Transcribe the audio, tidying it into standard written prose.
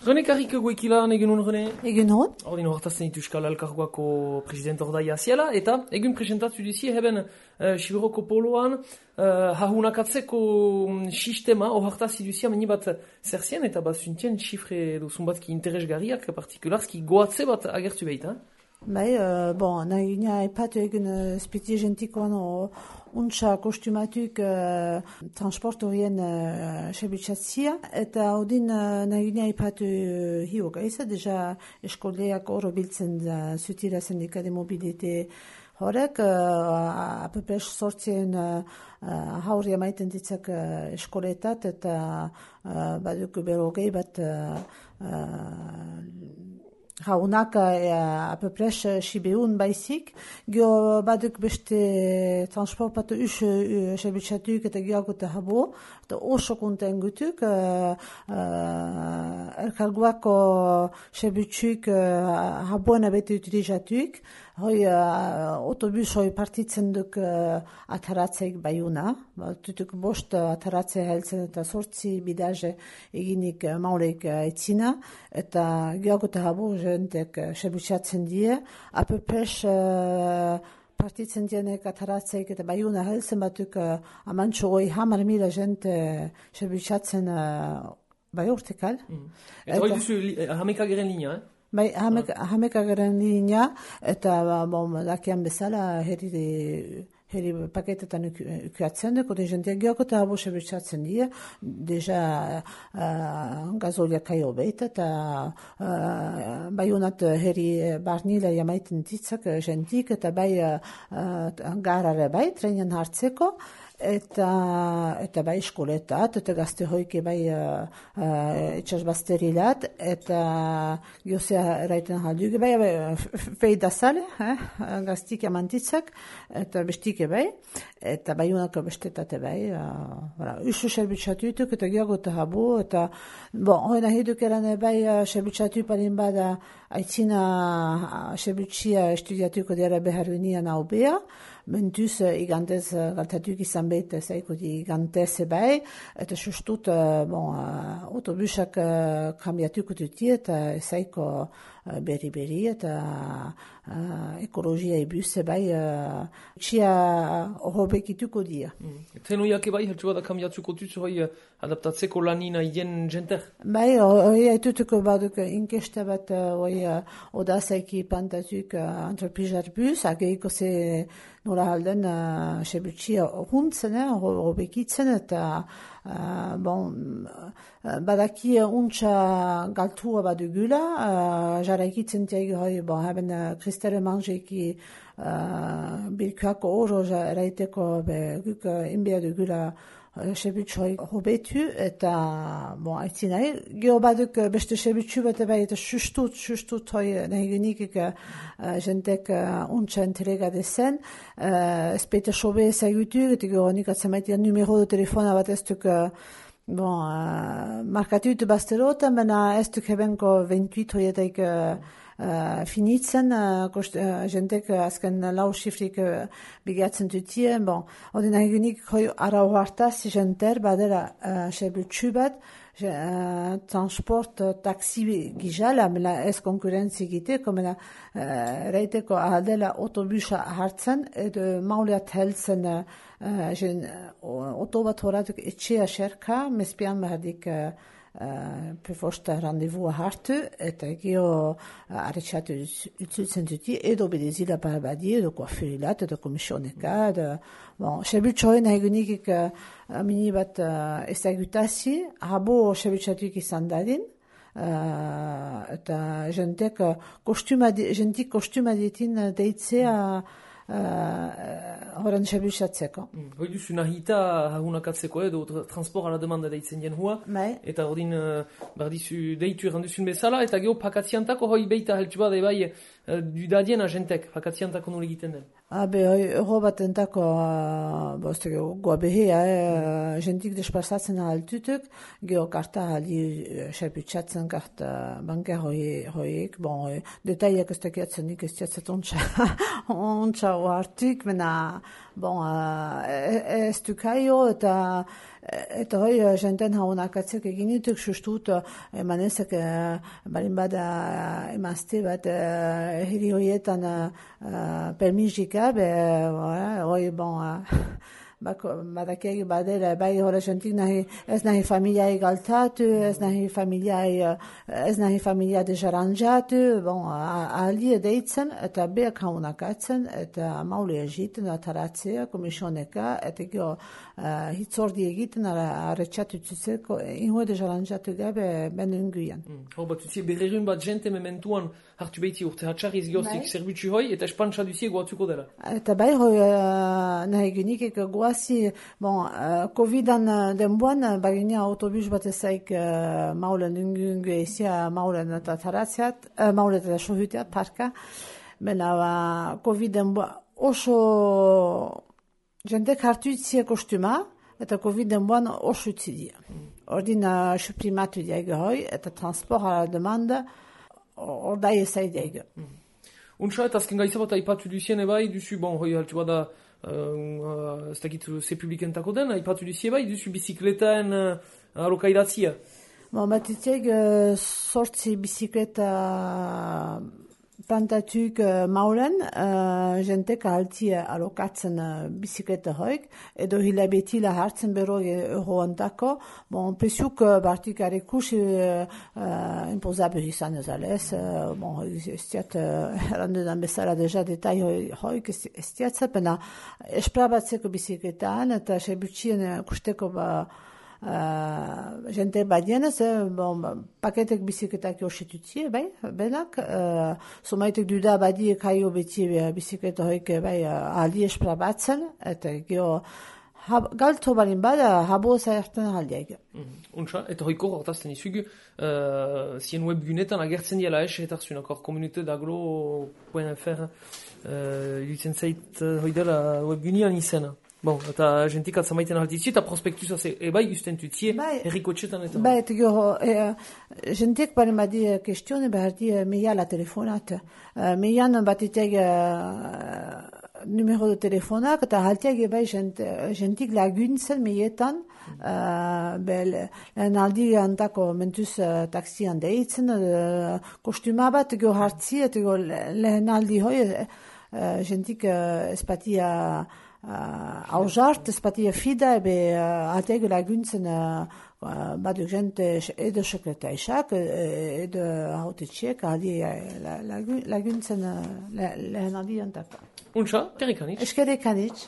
Rene Karriko goikilan egun hon, Rene? Egun hon? Ordin hortazten ditu Euskal Elkargoako presidente ordaia ziela, eta egun presentatu duzie heben Siberoko poloan hahunakatzeko sistema hortaz iduzia meni bat zerzien eta bat zuntien xifre duzun bat ki interesgarriak partikularski goatze bat agertu behita. Bai, nahi gina epatu egun spiti gentikoan untsa kostumatuk transport horien sebitxatzia, eta odin nahi gina epatu hiok aiza, deja eskoleak oro biltzen zutira sindika de mobilite horrek, apepes sortzien haurria maiten ditzak eskoletat, eta baduk berogei bat Haunak apepres sibeun baizik, gio baduk beste transport patu sebitxatuk eta geagote habo, eta oso konten gutuk, elkargoako sebitxuk haboen abete utilizatuk, hoi autobus hoi partitzen duk ataratzeik baiuna, tutuk bost ataratze heltzen eta sortzi bidaje eginik mauleik etzina, eta geagote habo jentek sebitxatzen die, apepes partitzen dienek ataratzeik eta baiuna heltzen batuk amantxo hoi 10.000 jente sebitxatzen bai urtekal. Eta hoi duzu hamekageren linea, Bai, hamekageren linea, eta dakian bezala herri paketetan ukuatzen duk, ode jendeak geoko eta habo sebitxatzen dira, deja gazolia kaio behit, eta baiunat herri barnila jamaiten ditzak jentik, eta bai garare bai, trenian hartzeko, eta bai eskoletat, eta gazte hoike bai etxasbasterilat, eta giozea eraiten halduge bai, feida sale, gaztik amantitzak, eta bestike bai, eta bai unako bestetate bai, usu serbitxatutuk, eta geagote habu, eta hoi nahi dukerane bai serbitxatu palin bada aitzina serbitxia estudiatuko dira beharrunia naubea, mentuz igandez galtatuk izan behit zaiko di igandez bai, eta sustut autobusak kambiatuko duti eta zaiko berri eta ekologia ebuse bai txia hobekituko dia. Zenuiak bai, heltsu bat kambiatuko dut hoi adaptatzeko lanina hien jenter? Bai, hoi haitutuko baduk inkesta bat hoi odazaiki pantatuk antropizar bus, ageiko ze nola halden sebutxia huntzen, hobekitzen, eta badaki untsa galtua badugula, jaraikitzen tiagi hoi, haben kristere manjeki bilkuako oro eraiteko guk inbea dugula sebutxoi hobetu, eta aitzin nahi, geho baduk beste sebutxu bat bai, eta sustut hoi nahi genikik jentek untsa entrega dezen, espete sobe zaigutu, eta geho nik atzamaitia numero de telefona bat ez duk markatut basterotan, baina ez duk hebenko 28 hoietaik finitzen, jentek azken lau xifrik bigatzen dutie, hori nahi genik hoi ara hoartaz jenter badera sebutxu bat, transport taxi gizala, mela ez konkurentzi giteko, mela reiteko ahaldela autobusa hartzen, edo mauleat heltzen otobat horatuk etxea xerka, mespian bahadik prefosta randevua hartu, eta geho arretxatu utzutzen duti, edo bedezila barbadi, edo koafurilat, edo komisioneka, sebutxoen nahi genikik mini bat ezagutazi, habo sebutxatuik izan dadin, eta jentik kostuma ditin deitzea horan sebutxatzeko. Hoi duzu nahita hahunakatzeko edo transport ala demanda deitzen jen hua, eta ordin bardizu deitu erranduzun bezala, eta geho pakatziantako hoi beita heltsu bade bai dudadien agentek, pakatziantako nol egiten den. Euro bat entako, goa behea, jentik desplazatzen altutuk, geho karta aldi serpitzatzen karta banker hoiek, detaiak ez tekiatzen nik ez tiatzet ontsa oartik, mena, ez dukaio eta hoi jenten haunak atzek eginituk sustut emanezek barin bada emazte bat hiri hoietan permisika, hoi badakiak badera, bai hori jentik ez nahi familiai galtatu, ez nahi familia dejaranjatu, aldi edeitzen, eta beak haunak atzen, eta maule egiten, ataratzea, komisioneka, eta gero hitzordi egiten, arretxatu tzutzeko, ingo dejaranjatu gabe ben unguian. Bat utzi, berrerun bat jente mementuan hartu behiti urte hatxarriz geozik zerbitzu hoi, eta espantsa duzie goatzuko dela. Eta bai hoi nahi genikek goazi, Covidan denboan, bagina autobus bat ezaik maulen ungu ezia maulen eta taratziat, maulen eta sohutiat, parka. Bena, Covid denboan oso jentek hartu itzie kostuma, eta Covid denboan oso itzidia. Ordin suprimatu diago hoi, eta transport ala demanda, ordai ezai diago. Untsa, eta azken gaitza bat aipatu duzien ebai, duzu, hoi haltu bada, ez dakit ze publikentako den, aipatu duzie bai, duzu bizikletaen alokaidatzia. Batitiek sortzi bizikleta plantatuk maulen, jentek alti alokatzen bizikleta hoik, edo hilabetila hartzen bero euro ontako, pesuk bartik arekusi impozabil izan ezalez, ez diat errandudan bezala deja detai hoik ez diatza, pena esprabatzeko bizikletaan, eta sebutxien kusteko jente badienez, paketek bizikletak josetutzie, benak, somaitek duda badiek haio beti bizikleta hoik aldi esprabatzen, eta geho galto balin bada, habo zaerten aldiak. Untsa, eta hoiko hortazten izugu, zien webgunetan agertzen diela eta zunakor communauté-d'aglo.fr ilitzen zait hoidela webgunean izena. Eta jentik atzamaiten altitzi, eta prospektusa ebai guzten tutzie, errikotxetan eta... Eta gero, jentik baren badi kestione, behar di meia la telefonat. Meian batitek numero de telefonak, eta haltiak ebai jentik laguntzen meietan, lehen aldi antako mentuz taksian deitzen, kostuma bat gero hartzi, eta gero lehen aldi hoi, jentik espatia... Auzart, ez batia fida, atege laguntzen baduk jente edo sekretaisak, edo hautetxek, laguntzen lehen adiantako. Untsa, kerrikanitz. Eskerrikanitz.